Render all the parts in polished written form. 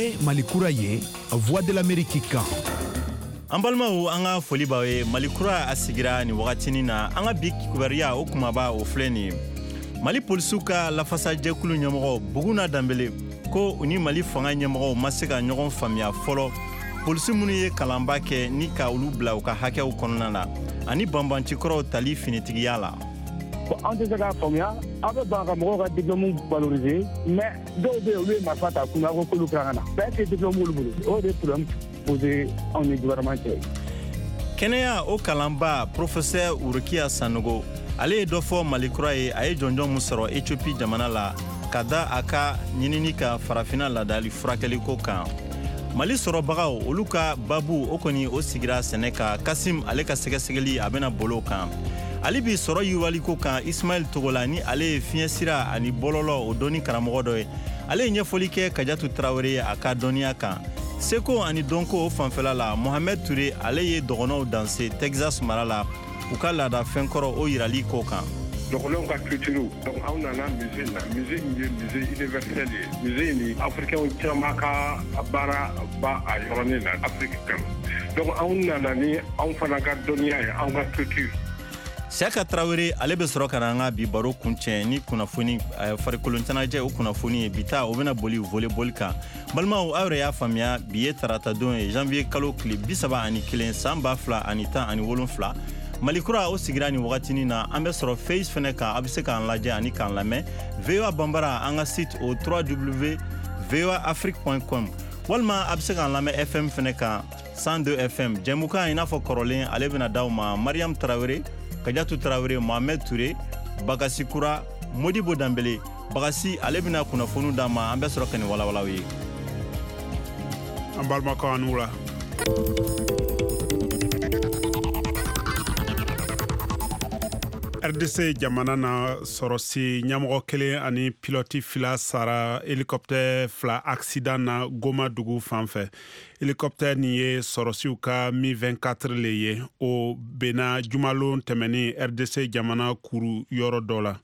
Ye Mali kura ye, Voix de l'Amérique kan. An balimaw, an ka foli b'aw ye. Mali kura a sigira nin wagatinin na. An ka bi kibaruya o kumaba o filɛ nin ye: Mali polisiw ka lafasajɛkulu ɲɛmɔgɔ Buguna Danbele ko u ni Mali fanga ɲɛmɔgɔw ma se ka ɲɔgɔn faamuya fɔlɔ, polisi minnu ye kalanba kɛ ni ka olu bila u ka hakɛw kɔnɔna na ani banbancikɔrɔw tali finitigiya la. An tɛ se k'a faamuya, aw bɛ ban ka mɔgɔw ka diplôme valoriser, mais dɔw bɛ yen, olu ye marifa ta kun, aw ko k'olu kan ka na bɛɛ tɛ diplôme olu bolo. O de problème posé anw ni gouvernement cɛ. Kɛnɛya o kalanba professeur Urukiya Sanogo, ale ye dɔ fɔ Mali kura ye. A ye jɔnjɔn mun sɔrɔ Ethiopie jamana la ka da a ka ɲinini ka farafina ladali furakɛliko kan. Mali sɔrɔbagaw olu ka babu o kɔni o sigira sɛnɛ kan. Kasim ale ka sɛgɛsɛgɛli a bɛna bolo kan hali bi sɔrɔ yiriwaliko kan. Ismail Togola, ni ale ye fiɲɛ sira ani bɔlɔlɔ o dɔnni karamɔgɔ dɔ ye, ale ye ɲɛfɔli kɛ Kajatu Tarawele ye a ka dɔnniya kan. Seko ani dɔnko o fanfɛla la, Mohamɛd Ture, ale ye dɔgɔnɔw danse Texas mara la, u ka laada fɛnkɔrɔ o yirali ko kan. Dɔgɔnɔw ka culture. Donc anw nana musée na, musée min ye musée universel ye, musée ni africain caman ka baara ba a yɔrɔnin na Afrique kan. Donc anw nana ni anw fana ka dɔnniya ye, anw ka culture. Siyaka Tarawele, ale bɛ sɔrɔ ka na an ka bi baro kuncɛ ni kunnafoni farikolo ɲɛnajɛ o kunnafoni ye. Bi ta o bɛna boli volleyball kan. Balimaw, aw yɛrɛ y'a faamuya, bi ye taratadon ye, janvier kalo tile 31 san 2017. Mali kura o sigira nin wagatinin na. An bɛ sɔrɔ Face fɛnɛ kan, a bɛ se k'an lajɛ ani k'an lamɛn VOA Banbara, an ka site o 3w voaafrique.com, walima a bɛ se k'an lamɛn FM fɛnɛ kan, 102 FM. Jɛmukan i n'a fɔ kɔrɔlen, ale bɛna d'aw ma Mariam Tarawele, Kajatu Tarawele, Mohamed Ture, Bagasi Kura, Modibo Danbele. Bagasi ale bɛna kunnafoniw d'an ma, an bɛ sɔrɔ ka nin walawalaw ye. An balimakɛw, an wula. RDC jamana na, sɔrɔsi ɲɛmɔgɔ kelen ani pilɔti fila sara hélicoptère fila accident na Goma dugu fan fɛ. Hélicoptère nin ye sɔrɔsiw ka Mi 24 le ye. O benna jumalon tɛmɛnin RDC jamana kuru yɔrɔ dɔ la.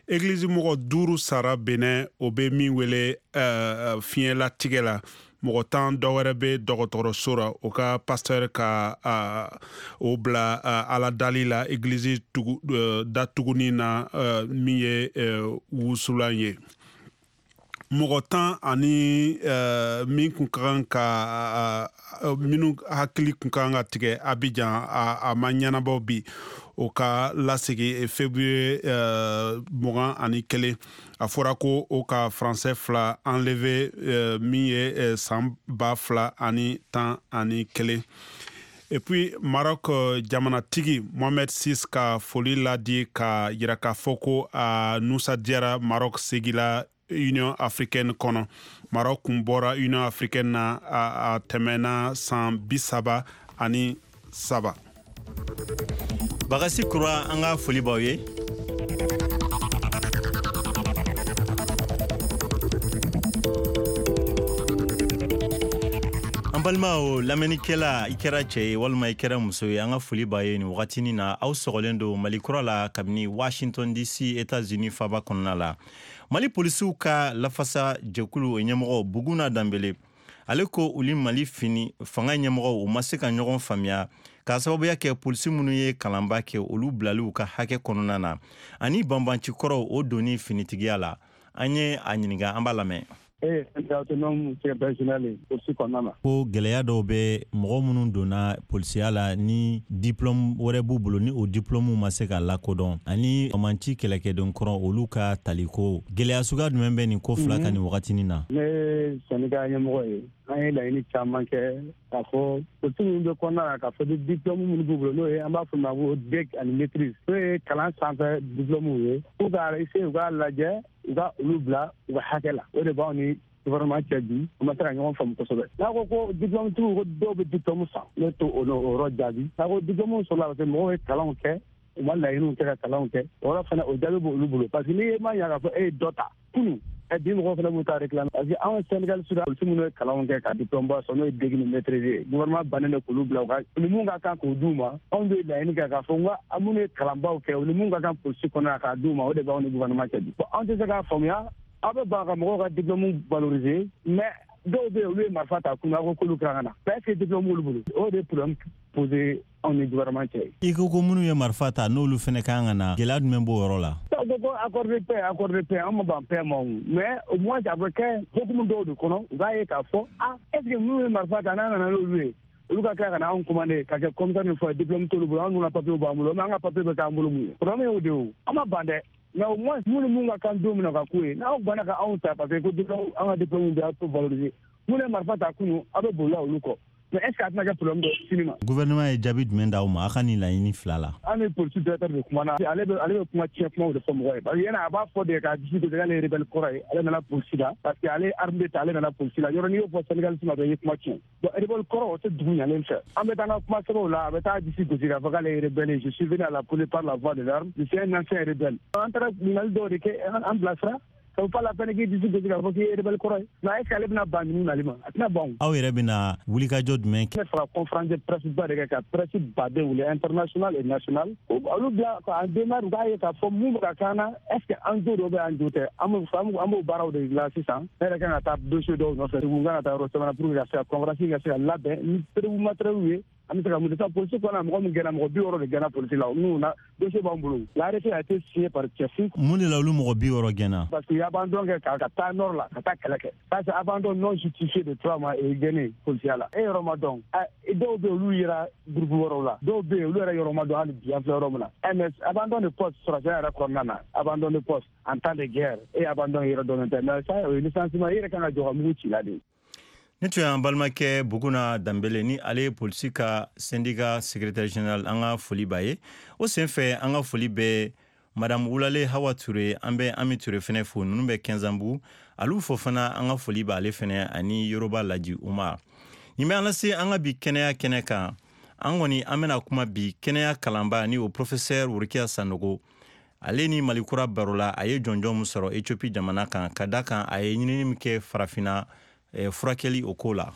Egilizi mɔgɔ duuru sara Benin, o bɛ min wele fiɲɛlatigɛ la. Mɔgɔ 10 dɔ wɛrɛ bɛ dɔgɔtɔrɔso ra. O ka pasteur ka o bila ala dali la egilizi datuguni na, min ye wusulan ye. Mɔgɔ 10 ani min kun ka kan ka minnu hakili kun ka kan ka tigɛ Abidjan, a ma ɲɛnabɔ bi. O ka lasegi février 21. A fɔra ko o ka Français fila enlevé min ye san 2011. Et puis Maroc jamanatigi Mohamed VI ka foli ladi ka yira k'a fɔ ko a nusadiyara Maroc segila Union africaine kɔnɔ. Maroc kun bɔra Union africaine na a tɛmɛna san 33. Bagasi Kura, an ka foli b'aw ye. An balimaw lamɛnnikɛla, i kɛra cɛ ye walima i kɛra muso ye, an ka foli b'a ye nin wagatinin na. Aw sɔgɔlen don Mali kura la kabini Washington DC, États-Unis faba kɔnɔna la. Mali polisiw ka lafasa jɛkulu o ɲɛmɔgɔ Buguna Danbele, ale ko uli Mali fini fanga ɲɛmɔgɔw u ma se ka ɲɔgɔn faamuya k'a sababuya kɛ polisi minnu ye kalanba kɛ, olu bilaliw ka hakɛ kɔnɔna na ani banbancikɔrɔw o donni finitigiya la. An ye a ɲininka, an b'a lamɛn. E ye syndicat autonome secrétaire général ye polisi kɔnɔna na. Ko gɛlɛya dɔw bɛ mɔgɔ minnu donna polisiya la ni diplôme wɛrɛ b'u bolo, ni o diplôme ma se ka lakodɔn, ani banbanci kɛlɛkɛden kɔrɔ olu ka taliko. Gɛlɛya suguya jumɛn bɛ nin ko fila kan nin wagatinin na? Ne ye syndicat ɲɛmɔgɔ ye. An ye laɲini caman kɛ k'a fɔ polisi minnu bɛ kɔnɔna na, k'a fɔ ni diplôme minnu b'u bolo, n'o ye an b'a fɔ ma ko DEC ani maîtrise, n'o ye kalan sanfɛ diplôme ye, k'u ka essayer u k'a lajɛ u ka olu bila u ka hakɛ la. O de b'anw ni gouvernement cɛ bi, u ma se ka ɲɔgɔn faamu kosɛbɛ. N'a ko ko diplôme tigiw, ko dɔw bɛ diplôme san, ne t'o o yɔrɔ jaabi. N'a ko diplôme sɔrɔla parce que mɔgɔw ye kalanw kɛ, u ma laɲiniw kɛ ka kalanw kɛ, o yɔrɔ fana o jaabi b'olu bolo, parce que n'i ye ma ɲa k'a fɔ e ye dɔ ta kunu, bi mɔgɔw fana b'u ta réclamer, parce que anw syndicaliste la, polisi minnu ye kalanw kɛ ka diplôme ba sɔrɔ, n'o ye DEC ni maîtrise ye, gouvernement bannen don k'olu bila u ka ni mun ka kan k'o d'u ma. Anw bɛ laɲini kɛ k'a fɔ n ko minnu ye kalanbaw kɛ, u ni mun ka kan polisi kɔnɔ k'a d'u ma, o de b'anw ni gouvernement cɛ bi. Bon, anw tɛ se k'a faamuya, aw bɛ ban ka mɔgɔw ka diplôme valoriser, mais Dɔw bɛ yen, olu ye marifa ta kun, ko k'olu kan ka na, mais est ce que diplôme b'olu bolo? O de ye problème posé anw ni gouvernement cɛ. I ko ko minnu ye marifa ta, n'olu fɛnɛ kan ka na, gɛlɛya jumɛn b'o yɔrɔ la? Ko accord de paix, accord de paix, an ma ban paix ma o, mais au moins a bɛ kɛ hokumu dɔw de kɔnɔ. U b'a ye k'a fɔ, ah, est ce que minnu ye marifa ta, n'an nana n'olu ye, olu ka tila ka na anw commandé ka kɛ commissaire ni fɔ, diplôme t'olu bolo, anw dun ka papier b'an bolo, mais an ka papier bɛ k'an bolo mun ye? Problème y'o de ye o. An ma ban dɛ, mais au moins minnu mun ka kan don min na ka k'u ye, n'aw banna ka anw ta parce que ko diplôme, an ka diplôme bɛ aw valoriser, minnu ye marifa ta kunun, aw bɛ bolila olu kɔ, mais est ce que a tɛna kɛ problème dɔ sini ma? Gouvernement ye jaabi jumɛn d'aw ma a ka nin laɲini fila la? An ni polisi directeur de kumana. Ale bɛ kuma tiɲɛ kumaw de fɔ mɔgɔ ye, parce que yana a b'a fɔ de k'a disi gosi k'ale ye rebelle kɔrɔ ye, ale nana polisi la parce que ale ye arme ta, ale nana polisi la. Yɔrɔ n'i y'o fɔ syndicaliste ma dɔrɔn, i ye kuma tiɲɛ. Bon, rebelle kɔrɔ, o tɛ dugu ɲalen fɛ. An bɛ taa an ka kuma sɛbɛnw la, a bɛ taa disi gosi k'a fɔ k'ale ye rebelle ye: "Je suis venu à la police par la voie de l'arme, je suis un ancien rebelle." An taara ɲininkali dɔw de kɛ, an bilasira. Ça vaut pas la peine k'i disi gosi k'a fɔ k'i ye rebelle kɔrɔ ye, mais est ce que ale bɛna ban ninnu nali ma? A tɛna ban o. Aw yɛrɛ bɛna wulikajɔ jumɛn kɛ? Ne fara conférence de presse ba de kɛ, ka presse baden wele, international et national, olu bila k'an démarre, u k'a ye k'a fɔ mun bɛ ka k'an na. Est ce que an jo dɔ bɛ, an jo tɛ? An b'o baaraw de la sisan. Ne yɛrɛ kan ka taa dossier dɔw nɔfɛ, n kan ka taa yɔrɔ caman pour que ka se ka conférence ka se ka labɛn ni preuve matériel ye. An bɛ se ka mun de sisan? Polisi kɔnɔ, mɔgɔ min gɛnna, mɔgɔ 60 de gɛnna polisi la. N'u na dossier b'an bolo, l'arrêté a été signé par Cɛfu. Mun de la olu mɔgɔ 60 gɛnna? Parce que abandon kɛ ka taa nord la ka taa kɛlɛ kɛ. Ça, c'est abandon non justifié de 3 mois et gɛnni polisiya la. E yɔrɔ ma dɔn. Dɔw bɛ yen, olu yera groupe wɛrɛw la. Dɔw bɛ yen, olu yɛrɛ yɔrɔ ma dɔn hali bi an filɛ yɔrɔ min na. Mais abandon de poste, sɔrɔsiya yɛrɛ kɔnɔna na, abandon de poste en temps de guerre, e abandon yɛrɛ dɔnnen tɛ, mais ça, o ye licenciement, e yɛrɛ kan ka jɔ ka mugu ci la de. Ne tun y'an balimakɛ Buguna Danbele ni ale ye polisi ka syndicat secrétaire général. An ka foli b'a ye. O senfɛ, an ka foli bɛ Madame Wulale Hawa Ture. An bɛ Ami Ture fɛnɛ fo, ninnu bɛ Kɛnzanbugu. Alu fo fana, an ka foli b'ale fɛnɛ ani Yoroba Laji Umar. Nin bɛ an lase an ka bi kɛnɛya kɛnɛ kan. An kɔni an bɛna kuma bi kɛnɛya kalanba ni o professeur Worokiya Sanogo, ale ni Malikura baro la. A ye jɔnjɔn min sɔrɔ Ethiopie jamana kan, ka da kan a ye ɲinini min kɛ farafinna furakɛli o ko la.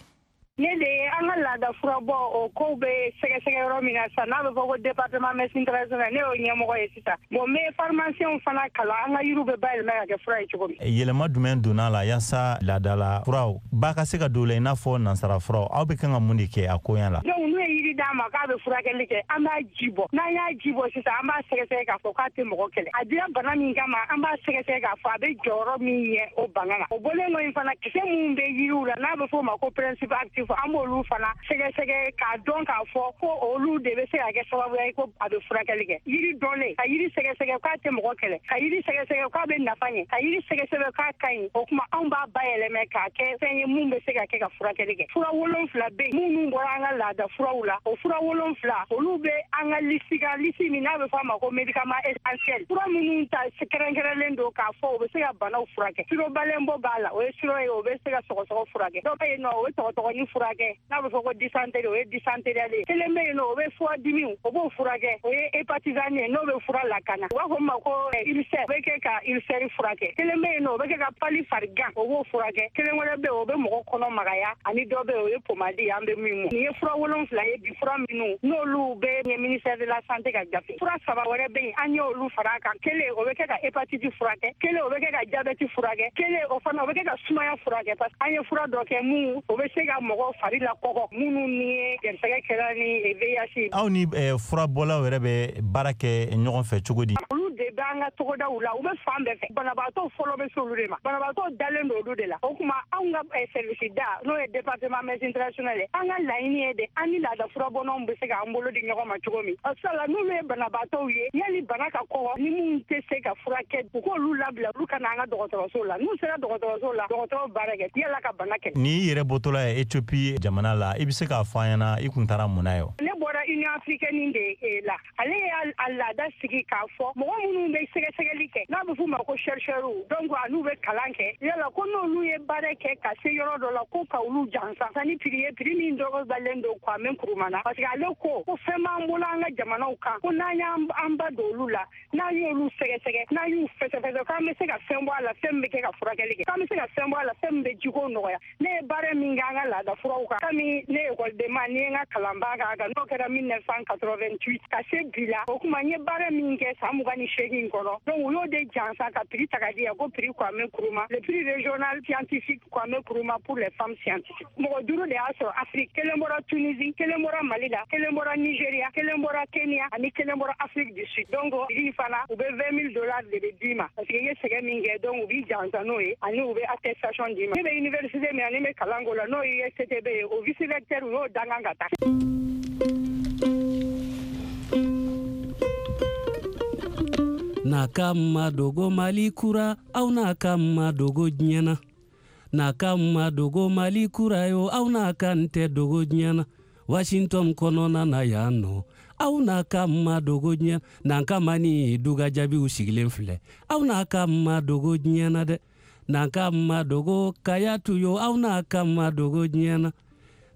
Ne de ye an ka laada furabɔ o kow bɛ sɛgɛsɛgɛ yɔrɔ min na sisan, n'a bɛ fɔ ko département médecine traditionnelle, ne y'o ɲɛmɔgɔ ye sisan. Bon, n bɛ pharmacien fana kalan an ka yiriw bɛ bayɛlɛma ka kɛ fura ye cogo min. Yɛlɛma jumɛn donna la yaasa laadala furaw ba ka se ka don la, i n'a fɔ nansara furaw? Aw bɛ kan ka mun de kɛ a koɲa la? Donc n'u ye yiri d'a ma k'a bɛ furakɛli kɛ, an b'a ji bɔ. N'an y'a ji bɔ sisan, an b'a sɛgɛsɛgɛ k'a fɔ k'a tɛ mɔgɔ kɛlɛ. A dira bana min kama, an b'a sɛgɛsɛgɛ k'a fɔ a bɛ jɔyɔrɔ min ɲɛ o bana la. O bɔlen kɔ in fana, kisɛ minnu bɛ yiriw la, n'a bɛ f'o ma ko principe actif, an b'olu fana sɛgɛsɛgɛ k'a dɔn k'a fɔ ko olu de bɛ se ka kɛ sababu ye ko a bɛ furakɛli kɛ. Yiri dɔnnen, ka yiri sɛgɛsɛgɛ k'a tɛ mɔgɔ kɛlɛ, ka yiri sɛgɛsɛgɛ k'a bɛ nafa ɲɛ, ka yiri sɛgɛsɛgɛ k'a ka ɲi, o tuma anw b'a bayɛlɛmɛ k'a kɛ fɛn ye mun bɛ se ka kɛ ka furakɛli kɛ. Fura 7 bɛ yen minnu bɔra an ka laada furaw la. O fura 7, olu bɛ an ka liste kan, liste min n'a bɛ fɔ a ma ko médicament essentiel, fura minnu ta kɛrɛnkɛrɛnlen don k'a fɔ o bɛ se ka banaw furakɛ. Sirop balenbo b'a la, o ye sirop ye, o bɛ se ka sɔgɔsɔgɔ furakɛ. Dɔ bɛ yen nɔ, o bɛ tɔgɔtɔgɔnin furakɛ, n'a bɛ fɔ ko dysenterie, o ye dysenterie ye. Kelen bɛ yen nɔ, o bɛ foie dimi, o b'o furakɛ, o ye hépatizane ye, n'o bɛ fura lakana, u b'a fɔ min ma ko ulcère, o bɛ kɛ ka ulcère furakɛ. Kelen bɛ yen nɔ, o bɛ kɛ ka palu farigan, o b'o furakɛ. Kelen wɛrɛ bɛ yen, o bɛ mɔgɔ kɔnɔ magaya, ani dɔ bɛ yen, o ye pommade ye, an bɛ min mu. Nin ye fura 7 ye bi, fura minnu n'olu bɛ ɲɛ ministère de la Santé ka gafe. Fura saba wɛrɛ bɛ yen, an y'olu fara a kan. Kelen, o bɛ kɛ ka hépatite furakɛ. Kelen, o bɛ kɛ ka diabète furakɛ. Kelen, o fana o bɛ kɛ ka sumaya furakɛ, parce que an ye fura dɔ kɛ mun o bɛ se ka mɔgɔ fari lakɔgɔ, minnu ni ye gɛrɛsɛgɛ kɛra ni VIH. Aw ni furabɔlaw yɛrɛ bɛ baara kɛ ɲɔgɔn fɛ cogo di? Olu de bɛ an ka togodaw la, u bɛ fan bɛɛ fɛ. Banabaatɔ fɔlɔ bɛ se olu de ma, banabaatɔ dalen don olu de la. O tuma anw ka service da, n'o ye département médecine traditionnelle ye, an ka laɲini ye de an ni laada furabɔnnaw bɛ se k'an bolo di ɲɔgɔn ma cogo min. Sala n'olu ye banabaatɔw ye, yanni bana ka kɔgɔ, ni mun tɛ se ka furakɛ, u k'olu labila, olu ka na an ka dɔgɔtɔrɔso la. N'u sera dɔgɔtɔrɔso la, dɔgɔtɔrɔw baara kɛ yala ka bana kɛlɛ. N'i yɛrɛ bɔtɔla ye Ethiopie jamana la, i bɛ se k'a fɔ an ɲɛna i kun taara mun na ye? Ne bɔra Union africaine de la. Ale y'a laada sigi k'a fɔ mɔgɔ minnu bɛ sɛgɛsɛgɛli kɛ, n'a bɛ f'u ma ko chercheurs, donc n'u bɛ kalan kɛ, yala ko n'olu ye baara kɛ ka se yɔrɔ dɔ la, ko ka olu jansa ni prix ye, prix min dɔgɔbalen don Kwame Nkrumah na, parce que ale ko fɛn b'an bolo an ka jamanaw kan, ko n'an y'an ba don olu la, n'an y'olu sɛgɛsɛgɛ, n'an y'u fɛsɛfɛsɛ, k'an bɛ se ka fɛn bɔ a la, fɛn min bɛ kɛ ka furakɛli kɛ, k'an bɛ se ka fɛn bɔ a la, fɛn min bɛ jiko nɔgɔya. Ne ye baara min kɛ an ka laada furaw kan, kami ne ekɔliden ma, ni ye n ka kalanba k'a kan, n'o kɛra. 1988 ka se bi la. O kuma n ye baara min kɛ san 28 kɔnɔ, donc u y'o de jansa ka prix ta ka di yan ko prix Kwame Nkrumah, le prix régional scientifique Kwame Nkrumah pour les femmes scientifiques. Mɔgɔ 5 de y'a sɔrɔ Afrique, 1 bɔra Tunisie, 1 bɔra Mali la, 1 bɔra Nigeria, 1 bɔra Kenya ani 1 bɔra Afrique du Sud. Donc prix fana u bɛ $20 000 de bɛ d'i ma parce que i ye sɛgɛn min kɛ, donc u b'i jansa n'o ye ani u bɛ attestation d'i ma. Ne bɛ université min na, ne bɛ kalan k'o la, n'o ye USTB ye, o vice recteur u y'o dangan ka taa. N'a ka ma dogo Mali kura, aw n'a ka ma dogo diɲɛ na. N'a ka ma dogo Mali kura yo, aw n'a ka n tɛ dogo diɲɛ na. Washington kɔnɔna na yan nɔ, aw n'a ka ma dogo diɲɛ na. N'an ka ma ni duga jaabiw sigilen filɛ, aw n'a ka ma dogo diɲɛ na dɛ. N'an ka ma dogo Kayatu yo, aw n'a ka ma dogo diɲɛ na.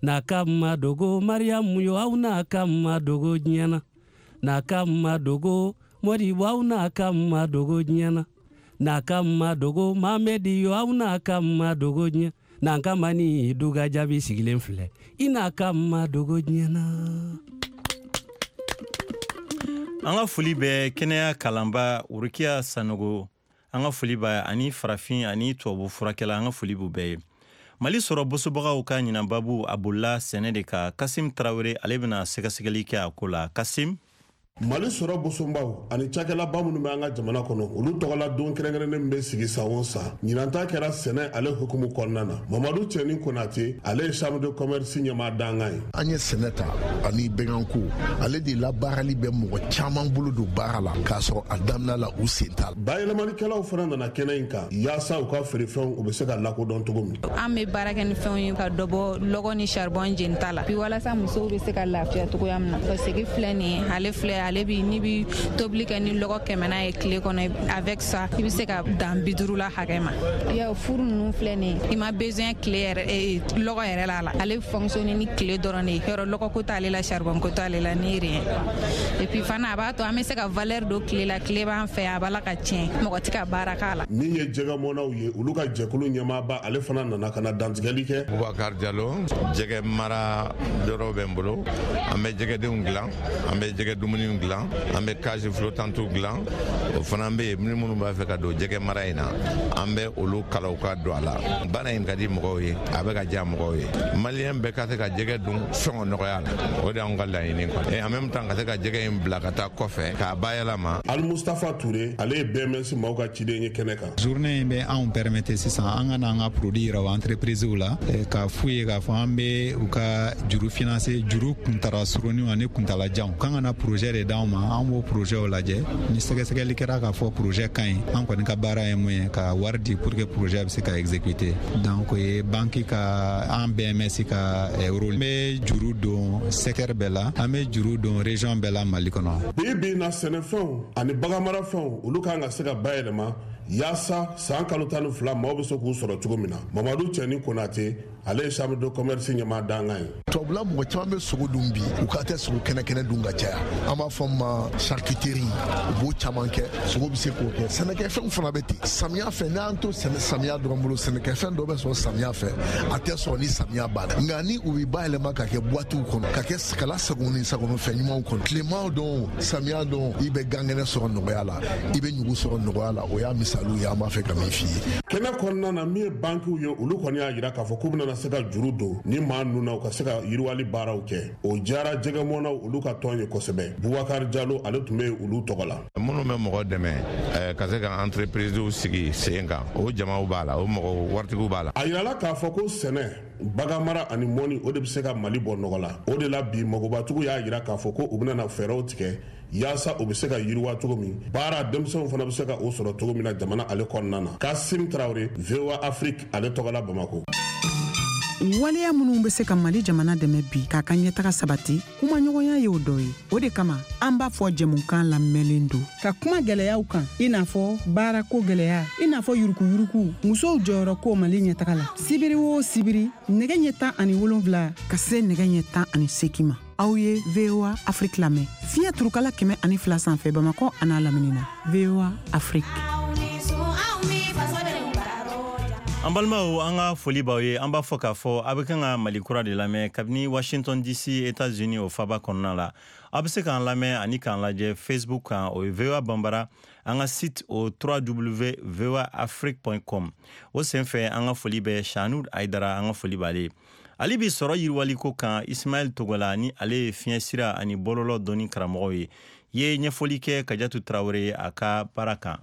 N'a ka ma dogo Mariamu yo, aw n'a ka ma dogo diɲɛ na. N'a ka ma dogo Modibo, aw n'a ka ma dogo diɲɛ na. N'a ka ma dogo Mamedi yo, aw n'a ka ma dogo diɲɛ. N'an ka ma ni duga jaabi sigilen filɛ, i n'a ka ma dogo diɲɛ na. An ka foli bɛ kɛnɛya kalanba Urukiya Sanogo, an ka foli b'a ani farafin ani tubabu furakɛla, an ka foli b'u bɛɛ ye. Mali sɔrɔ bosobagaw ka ɲinanbabu a bolila sɛnɛ de kan. Kasim Tarawele ale bɛna sɛgɛsɛgɛli kɛ a ko la. Kasim. Mali sɔrɔ bosonbaw ani cakɛlaba minnu bɛ an ka jamana kɔnɔ, olu tɔgɔla don kɛrɛnkɛrɛnnen bɛ sigi san o san. Ɲinan ta kɛra sɛnɛ ale hukumu kɔnɔna na. Mamadu Cɛni Konate, ale ye chambre de commerce ɲɛmaa dankan ye. An ye sɛnɛ ta ani bɛnkanko, ale de labaarali bɛ mɔgɔ caman bolo don baara la k'a sɔrɔ a daminɛ la u sen t'a la. Bayɛlɛmalikɛlaw fana nana kɛnɛ in kan yaasa u ka feerefɛnw u bɛ se ka lakodɔn cogo min. An bɛ baara kɛ ni fɛnw ye ka dɔ bɔ lɔgɔ ni charbon jenita la. Bi walasa musow bɛ se ka lafiya cogoya min na. Parce que filɛ nin ye, ale filɛ, ale bi n'i bi tobili kɛ ni lɔgɔ 100 ye tile kɔnɔ, avec ça i bɛ se ka dan 50 la hakɛ ma. Ya furu ninnu filɛ nin ye, i ma besoin tile yɛrɛ lɔgɔ yɛrɛ la la. Ale fonctionne ni tile dɔrɔn de ye, yɔrɔ lɔgɔ ko t'ale la, charbon ko t'ale la, ni rien. Et puis fana a b'a to an bɛ se ka valeur don tile la, tile b'an fɛ a b'a la ka tiɲɛ, mɔgɔ tɛ ka baara k'a la. Min ye jɛgɛmɔnaw ye, olu ka jɛkulu ɲɛmaaba ale fana nana ka na dantigɛli kɛ. Bubakar Jalo, jɛgɛ mara yɔrɔ bɛ n bolo, an bɛ jɛgɛdenw dilan, an bɛ jɛgɛ dumuni dilan, an bɛ cage flottante dilan, o fana bɛ yen ni minnu b'a fɛ ka don jɛgɛ mara in na, an bɛ olu kalaw ka don a la. Baara in ka di mɔgɔw ye, a bɛ ka diya mɔgɔw ye. Maliyɛn bɛɛ ka se ka jɛgɛ dun sɔngɔ nɔgɔya la, o de y'anw ka laɲini kɔni. Et en même temps ka se ka jɛgɛ in bila ka taa kɔfɛ k'a bayɛlɛma. Ali Mustafa Ture, ale ye BMS maaw ka ciden ye kɛnɛ kan. Journée in bɛ anw permettre sisan an ka n'an ka produit yira o entreprise la, k'a f'u ye k'a fɔ an bɛ u ka juru financer, juru kuntala surunniw ani kuntalajanw. K'an ka na projet de d'anw ma, an b'o projet lajɛ. Ni sɛgɛsɛgɛli kɛra k'a fɔ projet ka ɲi, an kɔni ka baara ye mun ye, ka wari di pour que projet bɛ se ka exécuter. Donc o ye banque ka, an BMS ka rôle. An bɛ juru don secteur bɛɛ la, an bɛ juru don région bɛɛ la Mali kɔnɔ. Bi bi in na, sɛnɛfɛnw ani baganmarafɛnw olu kan ka se ka bayɛlɛma yaasa san kalo 12 maaw bɛ se k'u sɔrɔ cogo min na. Mamadu Cɛni Konate, ale ye chambre de commerce ɲɛmaa dankan ye. Tubabula mɔgɔ caman bɛ sogo dun bi, u ka tɛ sogo kɛnɛ dun ka caya. An b'a fɔ ma charcuterie, u b'o caman kɛ, sogo bɛ se k'o kɛ. Sɛnɛkɛfɛnw fana bɛ ten. Samiya fɛ, n'an to samiya dɔrɔn bolo, sɛnɛkɛfɛn dɔ bɛ sɔrɔ samiya fɛ, a tɛ sɔrɔ ni samiya banna. Nka ni u bɛ bayɛlɛma ka kɛ boîtew kɔnɔ, ka kɛ kala sago ni sago fɛn ɲumanw kɔnɔ, tilema don, samiya don, i bɛ gan kɛnɛ sɔrɔ nɔgɔya la, i bɛ ɲugu sɔrɔ nɔgɔya la. O y'a misaliw ye, an b'a fɛ ka min f'i ye. Kɛnɛ kɔnɔna na, min ye bankiw ye, olu kɔni y'a jira k'a fɔ k'u bɛna se ka juru don ni maa ninnu na, u ka se ka yiriwali baaraw kɛ. O diyara jɛgɛmɔnaw olu ka tɔn ye kosɛbɛ. Bubakar Jalo, ale tun bɛ olu tɔgɔ la. Minnu bɛ mɔgɔ dɛmɛ ka se ka entreprise sigi sen kan, o jamaw b'a la, o mɔgɔ waritigiw b'a la. A yirala k'a fɔ ko sɛnɛ, baganmara ani mɔni, o de bɛ se ka Mali bɔ nɔgɔ la. O de la bi magobatigiw y'a jira k'a fɔ ko u bɛna fɛɛrɛw tigɛ yaasa u bɛ se ka yiriwa cogo min, baara denmisɛnw fana bɛ se ka o sɔrɔ cogo min na jamana ale kɔnɔna na. Kasim Tarawele, VOA Afrique, ale tɔgɔ la Bamako. Waleya minnu bɛ se ka Mali jamana dɛmɛ bi k'a ka ɲɛtaga sabati, kumaɲɔgɔnya y'o dɔ ye. O de kama an b'a fɔ jɛmukan lamɛnlen don ka kuma gɛlɛyaw kan, i n'a fɔ baarako gɛlɛya, i n'a fɔ yurukuyuruku, musow jɔyɔrɔ ko Mali ɲɛtaga la. Sibiri o sibiri, nɛgɛ ɲɛ 17 ka se nɛgɛ ɲɛ 18 ma, aw ye VOA Afrique lamɛn fiɲɛ turukala 102 sanfɛ Bamakɔ an'a lamini na. VOA Afrique. An balimaw, an ka foli b'aw ye. An b'a fɔ k'a fɔ a bɛ kan ka Mali Kura de lamɛn kabini Washington DC, États-Unis, o faba kɔnɔna la. Aw bɛ se k'an lamɛn ani k'an lajɛ Facebook kan, o ye VOA Banbara. An ka site o www.voaafrique.com. O senfɛ, an ka foli bɛ Shanud Aidara, an ka foli b'ale ye. Ale bi sɔrɔ yiriwaliko kan. Ismaɛl Togola ni ale ye fiɲɛ sira ani bɔlɔlɔ dɔnni karamɔgɔ ye, ye ɲɛfɔli kɛ Kajatu Tarawele ye a ka baara kan.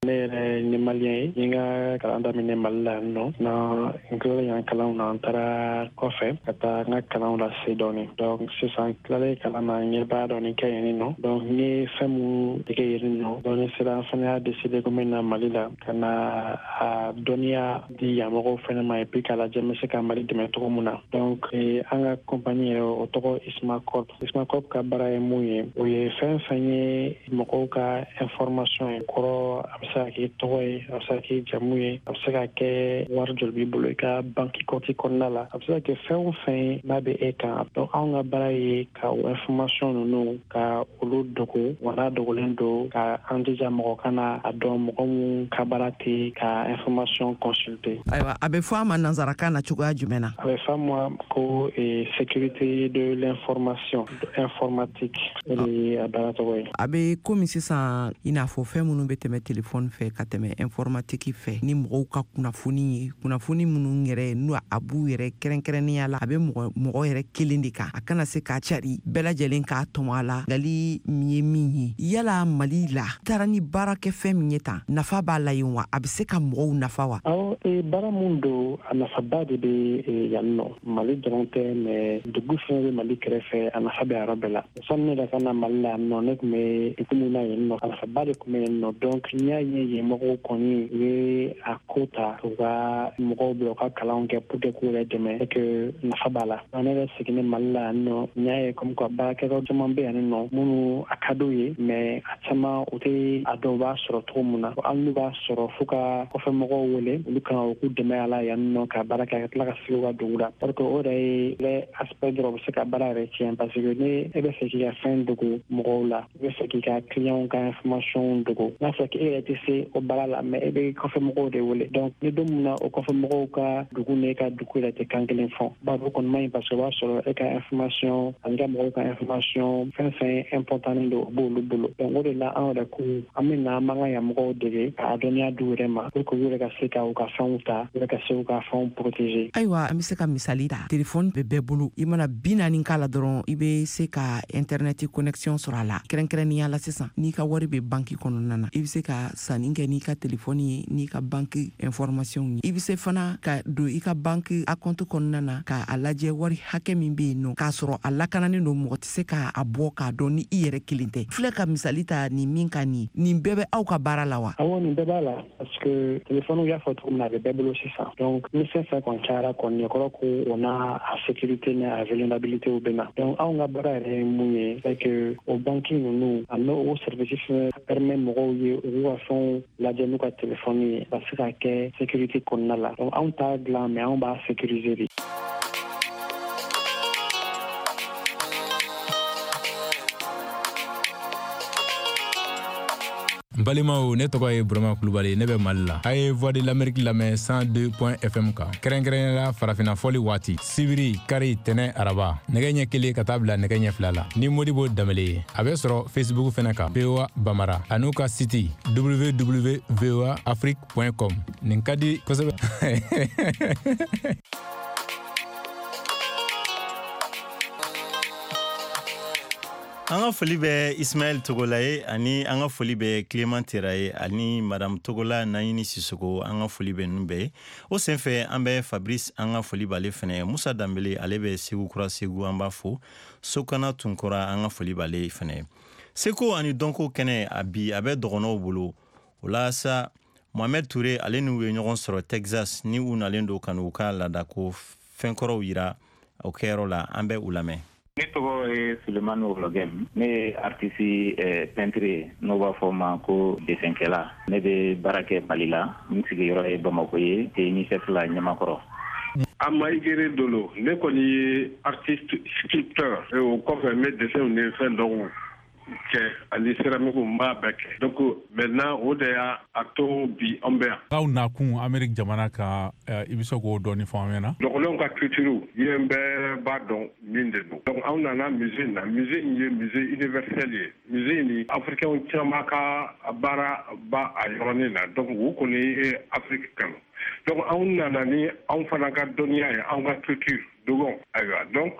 Ne yɛrɛ ni malien ye. N ka kalan daminɛ Mali la yan nɔ. Na n tilala yan kalanw na, n taara kɔfɛ ka taa n ka kalanw lase dɔɔni. Donc sisan tilalen kalan na, n ye baara dɔɔni kɛ yen nɔ. Donc n ye fɛn mun dege yen nɔ, donc ne sera, n fana y'a décidé ko n bɛ na Mali la ka na a dɔnniya di yan mɔgɔw fana ma, et puis k'a lajɛ n bɛ se ka Mali dɛmɛ cogo mun na. Donc an ka compagnie yɛrɛ, o tɔgɔ Isma Corp. Isma Corp ka baara ye mun ye? O ye fɛn fɛn ye mɔgɔw ka information ye kɔrɔ, a bɛ se ka kɛ tɔgɔ ye, a bɛ se ka kɛ jamu ye, a bɛ se ka kɛ wari joli b'i bolo i ka banki compte kɔnɔna la, a bɛ se ka kɛ fɛn o fɛn ye n'a bɛ e kan. Donc anw ka baara ye ka o information ninnu ka olu dogo, wa n'a dogolen don, ka an jija mɔgɔ kana a dɔn, mɔgɔ mun ka baara tɛ ka information consulter. Ayiwa, a bɛ fɔ a ma nanzarakan na cogoya jumɛn na? A bɛ fɔ a ma ko sécurité de l'information informatique, o de ye a baara tɔgɔ ye. A bɛ komi sisan, i n'a fɔ fɛn minnu bɛ tɛmɛ telefɔni fɛ ka tɛmɛ informatique fɛ ni mɔgɔw ka kunnafoni ye, kunnafoni minnu yɛrɛ n'u a b'u yɛrɛ kɛrɛnkɛrɛnnenya la, a bɛ mɔgɔ mɔgɔ yɛrɛ kelen de kan, a kana se k'a cari bɛɛ lajɛlen k'a tɔmɔ a la. Ngali min ye min ye, yala Mali la taara ni baarakɛfɛn min ye tan, nafa b'a la yen wa? A bɛ se ka mɔgɔw nafa wa? Awɔ, baara mun don, a nafaba de bɛ yan nɔ. Mali dɔrɔn tɛ, mais dugu fɛn bɛ Mali kɛrɛfɛ, a nafa bɛ a yɔrɔ bɛɛ la. Sani ne yɛrɛ ka na Mali la yan nɔ, ne tun bɛ dugu min na yen nɔ, a nafaba de tun bɛ yen nɔ. Donc n y'a ye yen mɔgɔw kɔni u ye a ko ta u ka mɔgɔw bila u ka kalanw kɛ pour que k'u yɛrɛ dɛmɛ, et que nafa b'a la. Ne yɛrɛ seginnen Mali la yan nɔ, n y'a ye comme quoi baarakɛyɔrɔ caman bɛ yan nɔ minnu a ka d'u ye, mais a caman u tɛ a dɔn u b'a sɔrɔ cogo min na. Hali n'u b'a sɔrɔ, fo ka kɔfɛ mɔgɔw wele, olu kan u k'u dɛmɛ a la yan nɔ ka baara kɛ, ka tila ka sigi u ka dugu la, parce que o yɛrɛ ye yɛrɛ aspect dɔrɔn bɛ se ka baara yɛrɛ tiɲɛ, parce que ni e bɛ fɛ k'i ka fɛn dogo mɔgɔw la, i bɛ fɛ k'i ka client ka information dogo, n'a fɔra k'e yɛrɛ tɛ se o baara la, mais e bɛ kɔfɛ mɔgɔw de wele. Donc ni don min na o kɔfɛ mɔgɔw ka dugu ni e ka dugu yɛrɛ tɛ kan kelen fɔ, bari o kɔni man ɲi, parce que o b'a sɔrɔ e ka information ani ka mɔgɔw ka information, fɛn fɛn important don, o b'olu bolo. Donc o de la an yɛrɛ ko an bɛ na an b'an ka yan mɔgɔw dege k'a dɔnniya d'u yɛrɛ ma pour que u yɛrɛ ka se ka u ka fɛnw ta, u yɛrɛ ka se u ka fɛnw protéger. Ayiwa, an bɛ se ka misali ta. Telefɔni bɛ bɛɛ bolo, i mana 40 k'a la dɔrɔn, i bɛ se ka internet connexion sɔrɔ a la. Kɛrɛnkɛrɛnnenya la sisan, n'i ka wari bɛ banki kɔnɔna na, i bɛ se ka sanni kɛ n'i ka telefɔni ye, n'i ka banki information ye. I bɛ se fana ka don i ka banki a compte kɔnɔna na k'a lajɛ wari hakɛ min bɛ yen nɔ, k'a sɔrɔ a lakananen don, mɔgɔ tɛ se k'a bɔ k'a dɔn ni i yɛrɛ kelen tɛ. Filɛ ka misali ta nin min ka nin, nin bɛɛ bɛ aw ka baara la wa? Awɔ, nin bɛɛ b'a la, parce que téléphone, y'a fɔ cogo min na, a bɛ bɛɛ bolo sisan. Donc ni fɛn fɛn kɔni cayara kɔni, o kɔrɔ ko o n'a a sécurité ni a vulnérabilité bɛ na. Donc anw ka baara yɛrɛ ye mun ye? C'est que o banque ninnu a n'o o service fɛnɛ permet mɔgɔw ye u k'u ka fɛnw lajɛ n'u ka téléphone ye, ka se ka kɛ sécurité kɔnɔna la. Donc anw t'a dilan, mais anw b'a sécuriser de. N balimaw, ne tɔgɔ ye Burama Kulubali, ne bɛ Mali la. A ye Voix de l'Amérique lamɛn 102 FM kan, kɛrɛnkɛrɛnnenya la farafinna fɔli waati, sibiri, kari, tɛnɛ, araba, nɛgɛ ɲɛ 1 ka taa bila nɛgɛ ɲɛ 2 la, ni Modibo Danbele ye. A bɛ sɔrɔ Facebook fɛnɛ kan, VOA Bamara, an'u ka site www voa afrique com. Nin ka di kosɛbɛ. An ka foli bɛ Ismaɛl Togola ye, ani an ka foli bɛ Clément Tera ye, ani Madame Togola Naɲini Sisoko, an ka foli bɛ ninnu bɛɛ ye. O senfɛ, an bɛ Fabrice, an ka foli b'ale fɛnɛ ye. Musa Danbele, ale bɛ Segu Kura, Segu, an b'a fo. Sokana Tunkora, an ka foli b'ale fɛnɛ ye. Seko ani dɔnko kɛnɛ, a bi a bɛ dɔgɔnɔw bolo. O la sa, Mohamed Touré, ale n'u ye ɲɔgɔn sɔrɔ Texas, ni u nalen don ka n'u ka laadako fɛnkɔrɔw yira o kɛyɔrɔ la. An bɛ u lamɛn. Ne tɔgɔ ye Sulemani Wologɛm. Ne ye artiste peintre ye, n'o b'a fɔ ma ko desɛnkɛla. Ne bɛ baara kɛ Mali la, n sigiyɔrɔ ye Bamako ye, UNICEF la Ɲamakɔrɔ. Amaigere Dolo, ne kɔni ye artiste sculpteur, o kɔfɛ n bɛ dessin ni fɛn dɔw. kɛ ani céramique, n b'a bɛɛ kɛ. Donc maintenant, o de y'a a to bi an bɛ yan. Aw nakun Amerique jamana kan, i bɛ se k'o dɔɔni fɔ an ɲɛna? Dɔgɔnɔw ka culture, yen bɛɛ b'a dɔn min de don. Donc anw nana musée na. Musée in ye musée universel ye. Musée in ni africain caman ka baara ba a yɔrɔnin na. Donc u kɔni ye Afrique kanu. Donc anw nana ni anw fana ka dɔnniya ye, anw ka culture dogon. Ayiwa, donc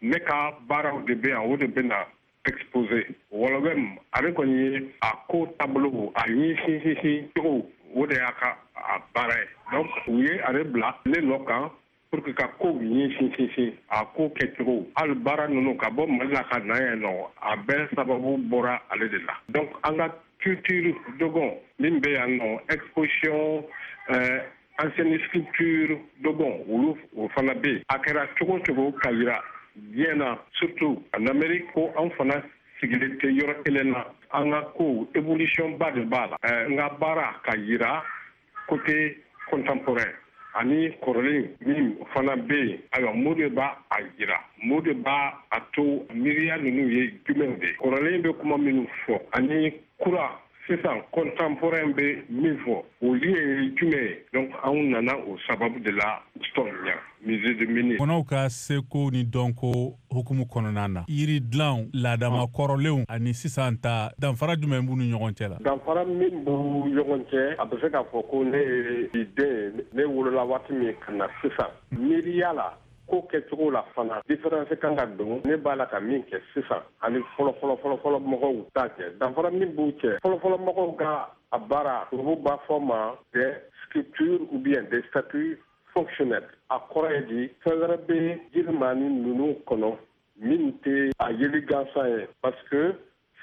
ne ka baaraw de bɛ yan, o de bɛ na exposé. Wɔlɔbɛ ale kɔni ye a ko taabolo a ɲɛsin sinsin cogo, o de y'a ka a baara ye. Donc u ye ale bila ne nɔ kan pour que ka kow ɲɛsin sinsin, a ko kɛcogo. Hali baara ninnu ka bɔ Mali la ka na yan nɔ, a bɛɛ sababu bɔra ale de la. Donc an ka culture dogon min bɛ yan nɔ, exposition ancienne sculpture dogon, olu o fana bɛ yen. A kɛra cogo cogo ka yira diɲɛ na, surtout en Amérique, ko anw fana sigilen tɛ yɔrɔ kelen na, an ka kow évolution ba de b'a la. N ka baara ka yira côté contemporain ani kɔrɔlen min fana bɛ yen. Ayiwa, mun de b'a a yira, mun de b'a a to miiriya ninnu ye jumɛnw de ye? Kɔrɔlen bɛ kuma minnu fɔ ani kura sisan contemporain bɛ min fɔ, o lien ye jumɛn ye? Donc anw nana o sababu de la Houston yan, musée de Mini. Kɔnɔw ka seko ni dɔnko hukumu kɔnɔna na, yiri dilanw laadama kɔrɔlenw ani sisan ta, danfara jumɛn b'u ni ɲɔgɔn cɛ la? Danfara min b'u ɲɔgɔn cɛ, a bɛ se k'a fɔ ko ne ye den, ne wolola waati min ka na sisan, miiriya la, ko kɛcogo la fana, différence kan ka don. Ne b'a la ka min kɛ sisan ani fɔlɔ fɔlɔ fɔlɔ fɔlɔ mɔgɔw ta cɛ, danfara min b'u cɛ, fɔlɔ fɔlɔ mɔgɔw ka a baara, olu b'a fɔ ma des sculptures ou bien des statues fonctionnelles. A kɔrɔ ye di? Fɛn wɛrɛ bɛ jirimani ninnu kɔnɔ min tɛ a yeli gansan ye, parce que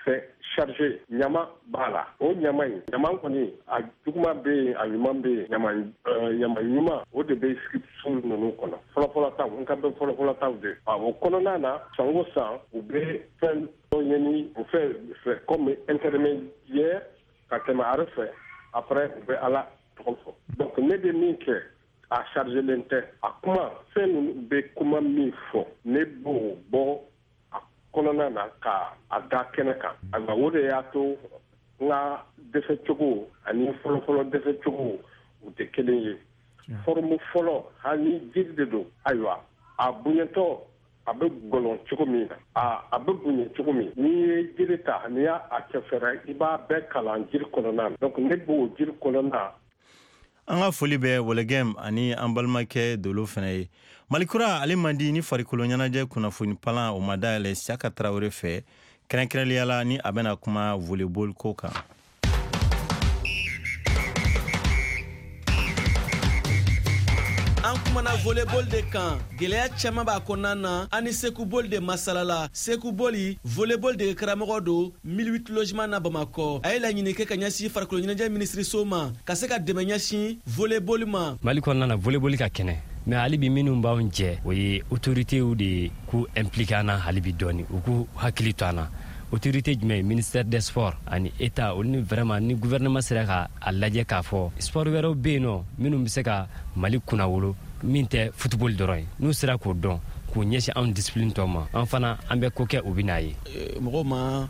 c'est chargé, ɲama b'a la. O ɲama in, ɲama kɔni, a juguman bɛ yen, a ɲuman bɛ yen. Ɲama ɲama ɲuman, o de bɛ sculpture ninnu kɔnɔ, fɔlɔfɔlɔ taw. N ka bɛ fɔlɔfɔlɔ taw de. O kɔnɔna na, san o san, u bɛ fɛn dɔ ɲini o fɛ fɛ comme intermédiaire ka tɛmɛ are fɛ. Après, u bɛ Ala tɔgɔ fɔ. Donc ne bɛ min kɛ, a chargelen tɛ. A kuma fɛn ninnu bɛ kuma min fɔ, ne b'o bɔ kɔnɔna na ka a da kɛnɛ kan. Ayiwa, o de y'a to n ka dɛsɛcogo ani fɔlɔfɔlɔ dɛsɛcogo u tɛ kelen ye. Forme fɔlɔ, hali ni jiri de don, ayiwa, a bonyɛtɔ, a bɛ gɔlɔn cogo min na, a bɛ bonya cogo min, n'i ye jiri ta, n'i y'a cɛ fɛrɛ, i b'a bɛɛ kalan jiri kɔnɔna na. Donc ne b'o jiri kɔnɔna. An ka foli bɛ Wɔlɛgɛm ani an balimakɛ Dolo fana ye. Malikura ale man di ni farikolo ɲɛnajɛ kunnafoni palan o ma dayɛlɛ Siyaka Tarawele fɛ, kɛrɛnkɛrɛnliya la ni a bɛna kuma volleyball ko kan. An kumana volleyball de kan, gɛlɛya caman b'a kɔnɔna na. An ni Seku Boli de masala la. Seku Boli, volleyball dege karamɔgɔ don 1008 logement na Bamakɔ. A ye laɲini kɛ ka ɲɛsin farikolo ɲɛnajɛ minisiriso ma ka se ka dɛmɛ ɲɛsin volleyball ma. Mali kɔnɔna na, volleyball ka kɛnɛ, mais hali bi minnu b'anw jɛ, o ye autoritéw de k'u impliqué an na hali bi dɔɔni, u k'u hakili to an na. Autorité jumɛn? Ministère des sports ani état, olu ni vraiment ni gouvernement sera ka a lajɛ k'a fɔ sport wɛrɛw bɛ yen nɔ minnu bɛ se ka Mali kunnawolo min tɛ football dɔrɔn ye, n'u sera k'o dɔn k'u ɲɛsin anw discipline tɔ ma, an fana an bɛ ko kɛ, u bɛ n'a ye. Mɔgɔw ma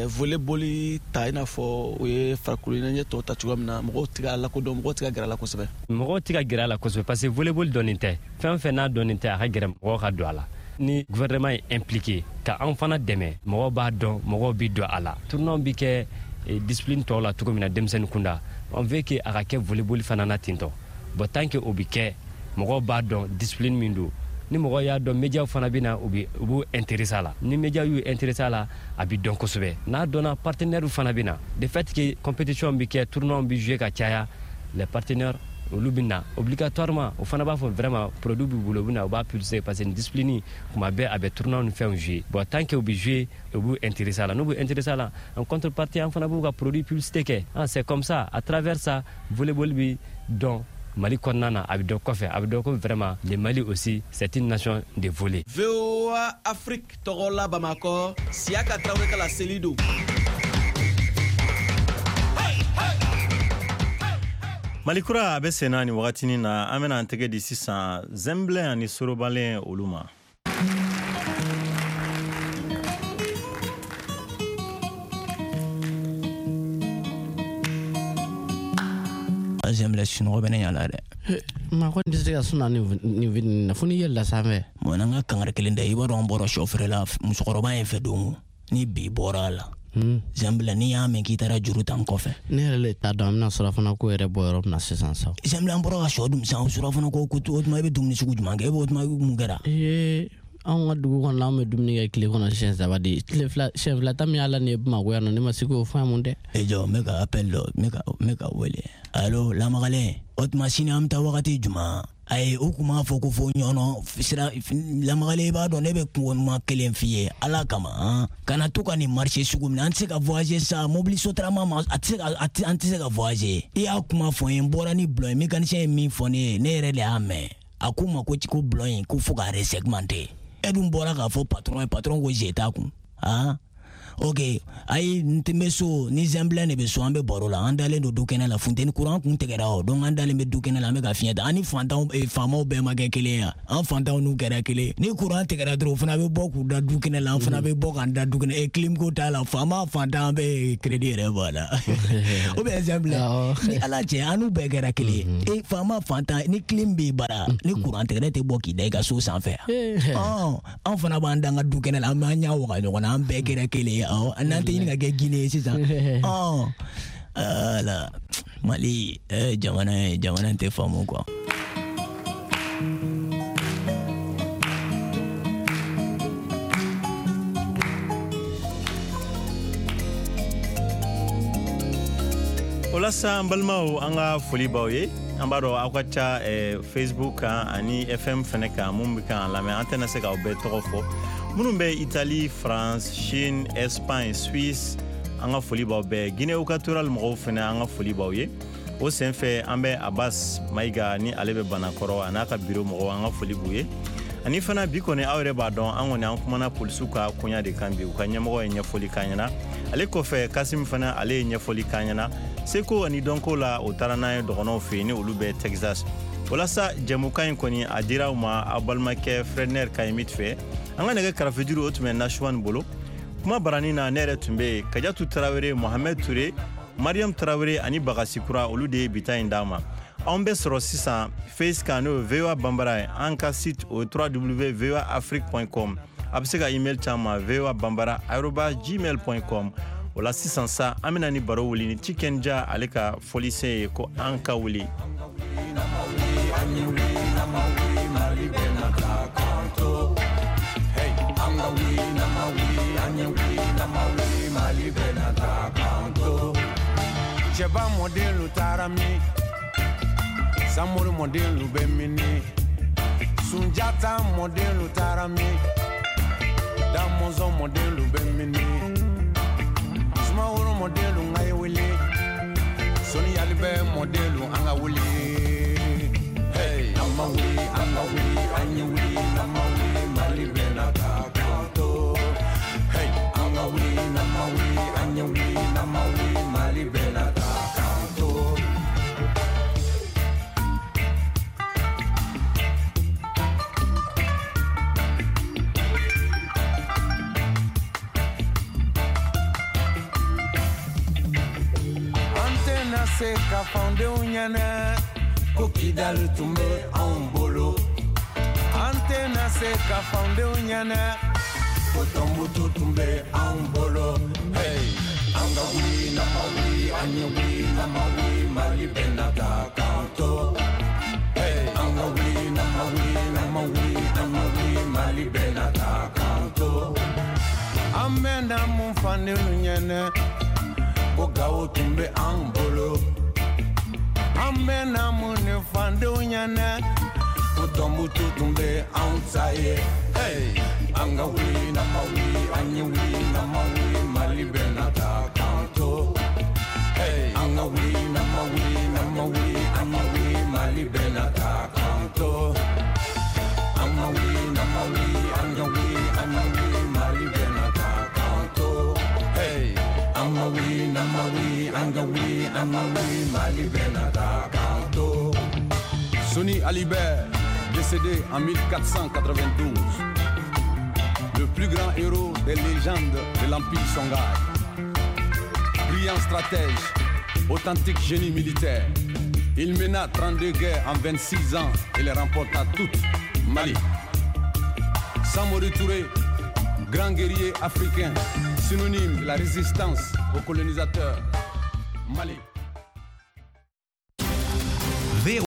volleyball ta i n'a fɔ u ye farikolo ɲɛnajɛ tɔw ta cogoya min na. Mɔgɔw tɛ k'a lakodɔn, mɔgɔw tɛ ka gɛrɛ a la kosɛbɛ. Mɔgɔw tɛ ka gɛrɛ a la kosɛbɛ parce que volleyball dɔnnen tɛ. Fɛn o fɛn n'a dɔnnen tɛ, a ka gɛrɛ mɔgɔw ka don a la. Ni gouvernement ye impliqué ka anw fana dɛmɛ, mɔgɔw b'a dɔn, mɔgɔw bɛ don a la. Tournoi bɛ kɛ discipline tɔw la cogo min na denmisɛnnin kunda, on veut que a ka kɛ volleyball fana na ten tɔ. Bon, tant que o bɛ kɛ, mɔgɔw b'a dɔn discipline min don. Ni mɔgɔw y'a dɔn, médiaw fana bɛ na, u b'u intéressé a la. Ni médiaw y'u intéressé a la, a bɛ dɔn kosɛbɛ. N'a dɔnna, partenaires fana bɛ na. De fait que compétition bɛ kɛ, tournoi bɛ jouer ka caya, les partenaires olu bɛ na obligatoirement. O fana b'a fɔ vraiment produit b'u bolo, u bɛ na, u b'a publicité parce que nin discipline kuma bɛɛ a bɛ tournoi ni fɛnw jouer. Bon, tant que u bɛ jouer, u b'u intéressé a la. N'u b'u intéressé a la, en contrepartie an fana b'u ka produit publicité kɛ. Ah, c'est comme ça, à travers ça, volleyball bɛ dɔn Mali kɔnɔna na, a bɛ dɔn kɔfɛ, a bɛ dɔn ko vraiment le Mali aussi, c'est une nation de volley. VOA Afrique tɔgɔ la Bamakɔ, Siyaka Tarawele ka laseli don. Malikura a bɛ senna nin wagatinin na. An bɛna an tɛgɛ di sisan Zɛnbilɛn ani Sorobalen olu ma. Zɛnbilɛ sunɔgɔ bɛ ne ɲɛ la dɛ. Maa kɔni tɛ se ka suna nin fitinin na fo n'i yɛlɛla sanfɛ. Bon n'an ka kangari kelen da i b'a dɔn an bɔra sɔ feere la musokɔrɔba in fɛ don ni bi bɔra a la. Zɛnbilɛ n'i y'a mɛn k'i taara juru ta n kɔfɛ. Ne yɛrɛ le t'a dɔn an bɛna surafana ko yɛrɛ bɔ yɔrɔ min na sisan sa. Zɛnbilɛ an bɔra ka sɔ dun sisan surafana ko o tuma i bɛ dumuni sugu jumɛn kɛ e b'o tuma mun kɛra. Anw ka dugu kɔnɔ anw bɛ dumuni kɛ tile kɔnɔ siɲɛ 3 de tile fila siɲɛ 2 ta min y'a la nin ye Bamakɔ yan nɔ ne ma se k'o faamu dɛ. E jɔ n bɛ ka appel dɔ n bɛ ka wele allo lamagalen o tuma sini an bɛ taa wagati jumɛn ayi u kun b'a fɔ ko fo ɲɔnɔ sira lamagalen i b'a dɔn ne bɛ kuma kelen f'i ye ala kama han kana to ka nin marché sugu minɛ an tɛ se ka voyager sa mobili sotarama ma a tɛ se ka an tɛ se ka voyager i y'a kuma fɔ n ye n bɔra ni bulon ye mécanicien ye min fɔ ne ye ne yɛrɛ de y'a mɛn a ko ma ko bulon in ko fo k'a resegmenter e dun bɔra k'a fɔ patron ye patron ko je t'a kun han ok ayi n tɛ bɛ so ni Zɛnbilɛ de bɛ so an bɛ baro la an dalen don du kɛnɛ la funteni courant kun tigɛra o donc an dalen bɛ du kɛnɛ la an bɛ ka fiɲɛ ta an ni fantanw faamaw bɛɛ ma kɛ kelen ye an fantanw n'u kɛra kelen ni courant tigɛra dɔrɔn o fana bɛ bɔ k'u da du kɛnɛ la an fana bɛ bɔ k'an da du kɛnɛ clim ko t'a la faama fantan bɛ crédit yɛrɛ bɔ a la o bɛ Zɛnbilɛ ni ala cɛ an n'u bɛɛ kɛra kelen ye faama fantan ni clim b'i bara ni courant tigɛra tɛ bɔ k'i da i ka so sanfɛ an fana b'an da an ka du kɛnɛ la an b'an ɲɛ waga ɲɔgɔn na an bɛɛ kɛra kelen ye awɔ n'an tɛ ɲini ka kɛ Guinée ye sisan ala Mali jamana ye jamana tɛ faamu quoi. O la sa an balimaw an ka foli b'aw ye an b'a dɔn aw ka ca Facebook kan ani FM fɛnɛ kan mun bɛ k'an lamɛn an tɛna se k'aw bɛɛ tɔgɔ fɔ minnu bɛ Italie, France, Chine, Espagne, Suisse an ka foli b'aw bɛɛ Guinée équatoriale mɔgɔw fɛnɛ an ka foli b'aw ye o senfɛ an bɛ Abbas Mayiga ni ale bɛ Banakɔrɔ a n'a ka biro mɔgɔw an ka foli b'u ye ani fana bi kɔni aw yɛrɛ b'a dɔn an kɔni an kumana polisiw ka koɲa de kan bi u ka ɲɛmɔgɔ ye ɲɛfɔli k'an ɲɛna ale kɔfɛ Kasim fana ale ye ɲɛfɔli k'an ɲɛna seko ani dɔnko la o taara n'an ye dɔgɔnɔw fɛ yen ni olu bɛ Texas walasa jɛmukan in kɔni a dira aw ma aw balimakɛ Fredner Kayimit fɛ an ka nɛgɛ karafejuru o tun bɛ Nasuwan bolo kuma barani na ne yɛrɛ tun bɛ yen Kajatu Tarawele Mohamed Ture Mariam Tarawele ani Bagasikura olu de ye bita in d'an ma anw bɛ sɔrɔ sisan Face kan n'o ye VOA Bambara ye an ka site o ye www.voaafrique.com a bɛ se ka email c'an ma voabambara@gmail.com o la sisan sa an bɛna ni baro wuli ni Tiken Jah ale ka fɔlisen ye ko an ka wuli. Cɛba mɔdenlu taara min Samori mɔdenlu bɛ mini Sunjata mɔdenlu taara min Damɔzɔn mɔdenlu bɛ mini Sumaworo mɔdenlu ŋa ye wele Soni Ali bɛ mɔdenlu an ka wele. Hey, an ma wuli an ka wuli an ye wuli n'an ma wuli Mali bɛna taa k'an to. Hey, an ka wuli n'an ma wuli an ye wuli n'an ma wuli Mali bɛna taa k'an to. Se ka fandenw ɲɛnɛ ko Kidali tun bɛ anw bolo an tɛna se ka fandenw ɲɛnɛ ko Tɔnbutu tun bɛ anw bolo. Hey, an ka wuli n'an ma wuli an ye wuli n'an ma wuli Mali bɛna taa k'an to. Hey, an ka wuli n'an ma wuli n'an ma wuli an ma wuli Mali bɛna taa k'an to. An bɛna mun fandenw ɲɛnɛ ko Gawo tun bɛ an bolo an bɛna mun ni fandenw ɲɛnɛ ko Tɔnbutu tun bɛ anw ta ye. Hey, an ka wuli n'an ma wuli an ye wuli n'an ma wuli Mali bɛna taa k'an to. Hey, an ka wuli n'an ma wuli n'an ma wuli an ma wuli Mali bɛna taa k'an to. An ma wuli n'an ma wuli an ka wuli an ma wuli Mali bɛna taa k'an to. Hey, an ma wuli n'an ma wuli an ka wuli an ma wuli Mali bɛna taa k'an to. Soni Ali Ber, décédé en 1492, le plus grand héros des légendes de l'Empire Songhai. Brillant stratège, authentique génie militaire, Il mena 32 guerres en 26 ans et les remporta toutes. Mali. Samori Touré, grand guerrier africain, synonyme de la résistance aux colonisateurs. Mali.